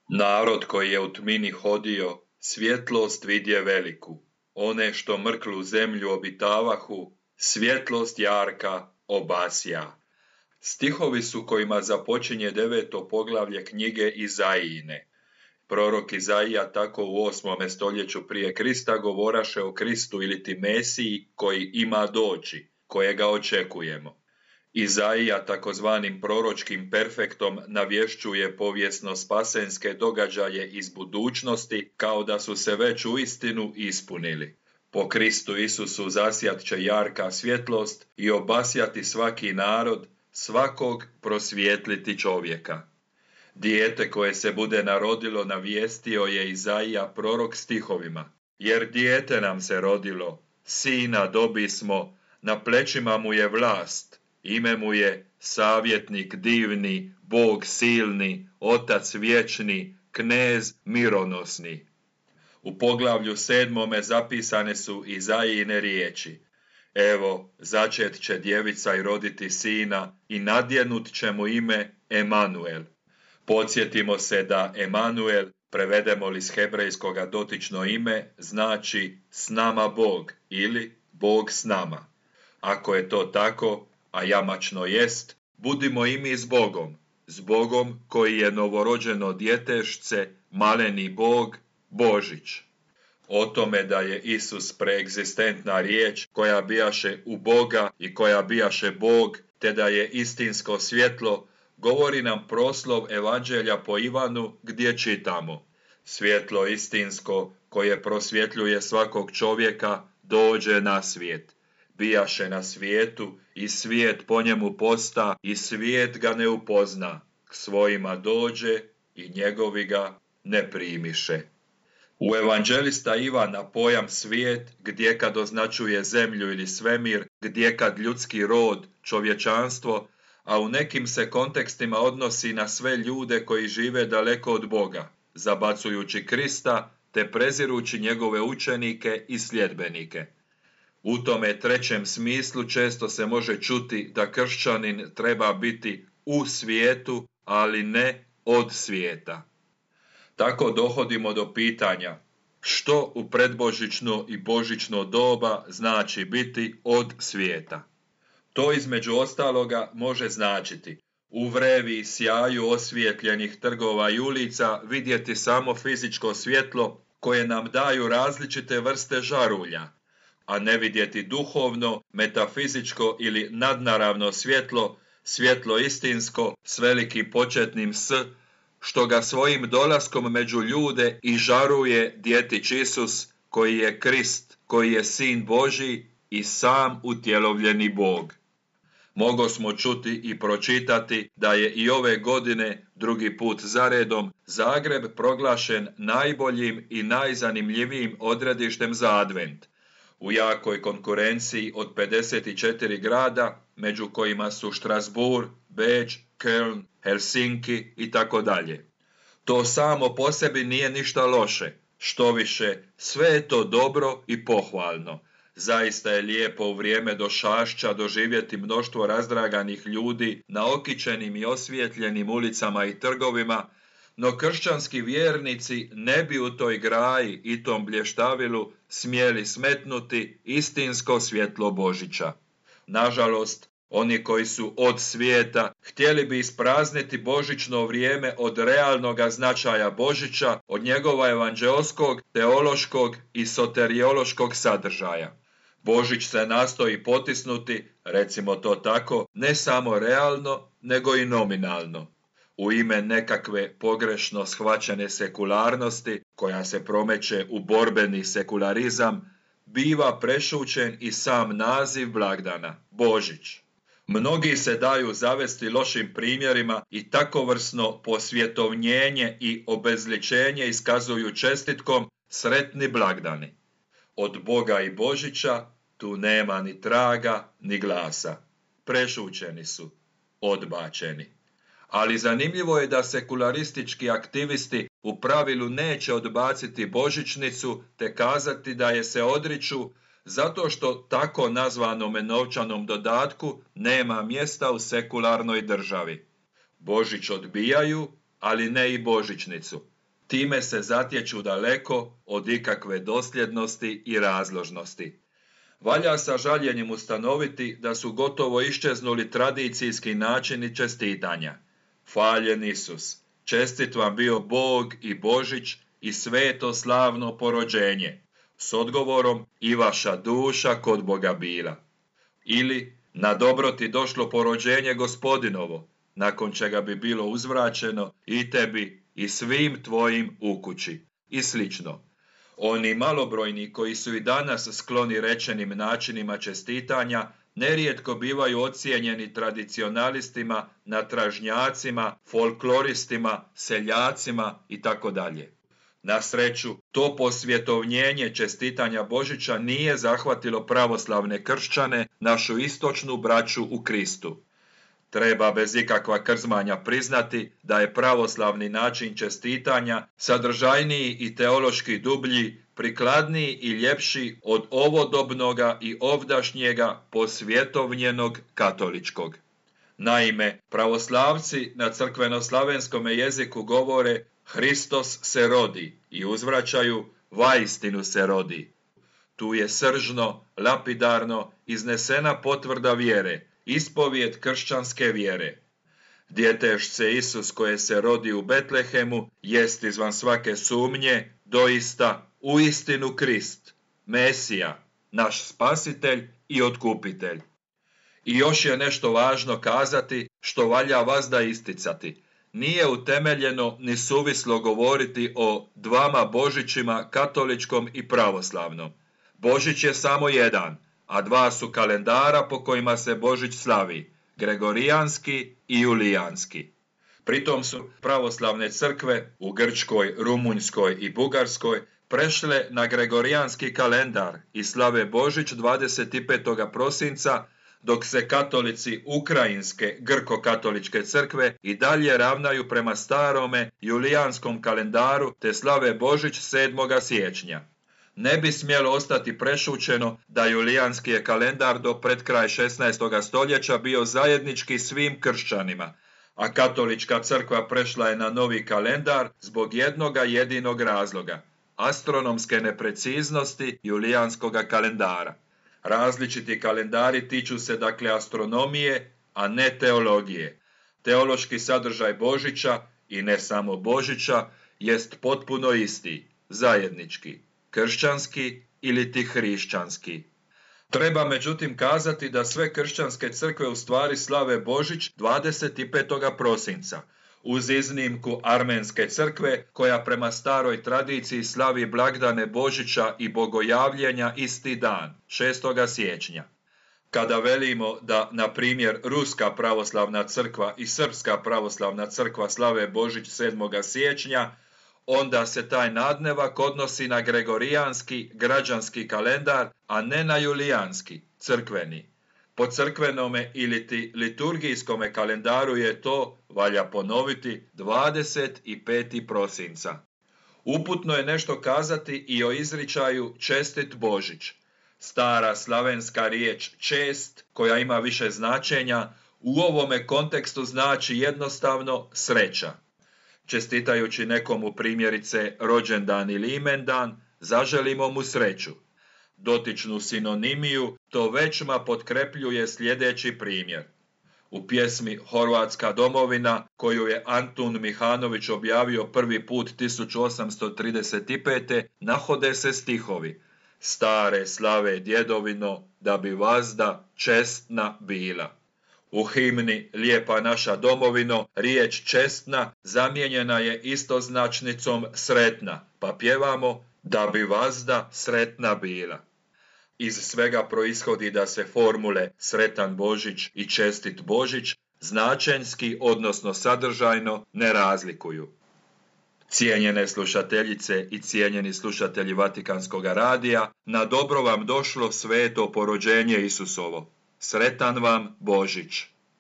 Narod koji je u tmini hodio, svjetlost vidje veliku. One što mrklu zemlju obitavahu, svjetlost jarka obasja. Stihovi su kojima započinje 9. poglavlje knjige Izaijine. Prorok Izaija tako u 8. stoljeću prije Krista govoraše o Kristu iliti Mesiji koji ima doći, kojega očekujemo. Izaija takozvanim proročkim perfektom navješćuje povijesno spasenske događaje iz budućnosti kao da su se već uistinu ispunili. Po Kristu Isusu zasjat će jarka svjetlost i obasjati svaki narod, svakog prosvijetliti čovjeka. Dijete koje se bude narodilo navijestio je Izaija prorok stihovima. Jer dijete nam se rodilo, sina dobismo, na plećima mu je vlast, ime mu je savjetnik divni, Bog silni, Otac vječni, knez mironosni. U poglavlju 7. zapisane su Izaijine riječi. Evo, začet će djevica i roditi sina i nadjenut će mu ime Emanuel. Podsjetimo se da Emanuel, prevedemo li s hebrejskoga dotično ime, znači s nama Bog ili Bog s nama. Ako je to tako, a jamačno jest, budimo i mi s Bogom koji je novorođeno djetešce, maleni Bog, Božić. O tome da je Isus preegzistentna riječ koja bijaše u Boga i koja bijaše Bog, te da je istinsko svjetlo, govori nam proslov Evanđelja po Ivanu gdje čitamo. Svjetlo istinsko koje prosvjetljuje svakog čovjeka dođe na svijet. Bijaše na svijetu i svijet po njemu posta i svijet ga ne upozna. K svojima dođe i njegovi ga ne primiše. U evanđelista Ivana pojam svijet gdje kad označuje zemlju ili svemir, gdje kad ljudski rod, čovječanstvo, a u nekim se kontekstima odnosi na sve ljude koji žive daleko od Boga, zabacujući Krista te prezirući njegove učenike i sljedbenike. U tome trećem smislu često se može čuti da kršćanin treba biti u svijetu, ali ne od svijeta. Tako dohodimo do pitanja što u predbožićno i božićno doba znači biti od svijeta. To između ostaloga može značiti u vrevi i sjaju osvijetljenih trgova i ulica vidjeti samo fizičko svjetlo koje nam daju različite vrste žarulja, a ne vidjeti duhovno, metafizičko ili nadnaravno svjetlo, svjetlo istinsko s velikim početnim S, što ga svojim dolaskom među ljude i žaruje djetić Isus, koji je Krist, koji je Sin Božji i sam utjelovljeni Bog. Mogo smo čuti i pročitati da je i ove godine, drugi put zaredom, Zagreb proglašen najboljim i najzanimljivijim odredištem za advent. U jakoj konkurenciji od 54 grada, među kojima su Strasbourg, Beč, Köln, Helsinki i tako dalje. To samo po sebi nije ništa loše, štoviše, sve je to dobro i pohvalno. Zaista je lijepo u vrijeme došašća doživjeti mnoštvo razdraganih ljudi na okićenim i osvijetljenim ulicama i trgovima, no kršćanski vjernici ne bi u toj graji i tom blještavilu smjeli smetnuti istinsko svjetlo Božića. Nažalost, oni koji su od svijeta htjeli bi isprazniti božićno vrijeme od realnoga značaja Božića, od njegova evanđeoskog, teološkog i soteriološkog sadržaja. Božić se nastoji potisnuti, recimo to tako, ne samo realno, nego i nominalno. U ime nekakve pogrešno shvaćene sekularnosti, koja se promeće u borbeni sekularizam, biva prešućen i sam naziv blagdana, Božić. Mnogi se daju zavesti lošim primjerima i takovrsno posvjetovnjenje i obezličenje iskazuju čestitkom sretni blagdani. Od Boga i Božića tu nema ni traga ni glasa. Prešućeni su, odbačeni. Ali zanimljivo je da sekularistički aktivisti u pravilu neće odbaciti božićnicu te kazati da je se odriču zato što tako nazvanome novčanom dodatku nema mjesta u sekularnoj državi. Božić odbijaju, ali ne i božićnicu. Time se zatječu daleko od ikakve dosljednosti i razložnosti. Valja sa žaljenjem ustanoviti da su gotovo iščeznuli tradicijski načini čestitanja. Hvaljen Isus, čestit vam bio Bog i Božić i sveto slavno porođenje, s odgovorom i vaša duša kod Boga bila. Ili, na dobro ti došlo porođenje Gospodinovo, nakon čega bi bilo uzvraćeno i tebi i svim tvojim u kući. I slično. Oni malobrojni koji su i danas skloni rečenim načinima čestitanja, nerijetko bivaju ocijenjeni tradicionalistima, natražnjacima, folkloristima, seljacima itd. Na sreću, to posvjetovnjenje čestitanja Božića nije zahvatilo pravoslavne kršćane, našu istočnu braću u Kristu. Treba bez ikakva krzmanja priznati da je pravoslavni način čestitanja sadržajniji i teološki dublji, prikladniji i ljepši od ovodobnoga i ovdašnjega posvjetovnjenog katoličkog. Naime, pravoslavci na crkveno-slavenskom jeziku govore Hristos se rodi i uzvraćaju vaistinu se rodi. Tu je sržno, lapidarno iznesena potvrda vjere, ispovijed kršćanske vjere. Djetešce Isus koje se rodi u Betlehemu jest izvan svake sumnje, doista, uistinu Krist, Mesija, naš spasitelj i otkupitelj. I još je nešto važno kazati što valja vazda isticati. Nije utemeljeno ni suvislo govoriti o dvama Božićima, katoličkom i pravoslavnom. Božić je samo jedan, a dva su kalendara po kojima se Božić slavi, gregorijanski i julijanski. Pritom su pravoslavne crkve u Grčkoj, Rumunjskoj i Bugarskoj prešle na gregorijanski kalendar i slave Božić 25. prosinca, dok se katolici Ukrajinske grko-katoličke crkve i dalje ravnaju prema starome julijanskom kalendaru te slave Božić 7. siječnja. Ne bi smjelo ostati prešućeno da julijanski je kalendar do pred kraj 16. stoljeća bio zajednički svim kršćanima, a katolička crkva prešla je na novi kalendar zbog jednoga jedinog razloga, astronomske nepreciznosti julijanskoga kalendara. Različiti kalendari tiču se dakle astronomije, a ne teologije. Teološki sadržaj Božića, i ne samo Božića, jest potpuno isti, zajednički, kršćanski ili ti hrišćanski. Treba međutim kazati da sve kršćanske crkve u stvari slave Božić 25. prosinca, uz iznimku Armenske crkve koja prema staroj tradiciji slavi blagdane Božića i bogojavljenja isti dan, 6. siječnja. Kada velimo da, na primjer, Ruska pravoslavna crkva i Srpska pravoslavna crkva slave Božić 7. siječnja, onda se taj nadnevak odnosi na gregorijanski, građanski kalendar, a ne na julijanski, crkveni. Po crkvenome ili ti liturgijskome kalendaru je to, valja ponoviti, 25. prosinca. Uputno je nešto kazati i o izričaju čestit Božić. Stara slavenska riječ čest, koja ima više značenja, u ovome kontekstu znači jednostavno sreća. Čestitajući nekomu primjerice rođendan ili imendan, zaželimo mu sreću. Dotičnu sinonimiju to većma potkrepljuje sljedeći primjer. U pjesmi Horvatska domovina, koju je Antun Mihanović objavio prvi put 1835. nahode se stihovi: Stare slave djedovino, da bi vazda čestna bila. U himni Lijepa naša domovino riječ čestna zamijenjena je istoznačnicom sretna, pa pjevamo da bi vazda sretna bila. Iz svega proishodi da se formule sretan Božić i čestit Božić značenjski, odnosno sadržajno, ne razlikuju. Cijenjene slušateljice i cijenjeni slušatelji Vatikanskog radija, na dobro vam došlo sveto porođenje Isusovo. Sretan vam Božić!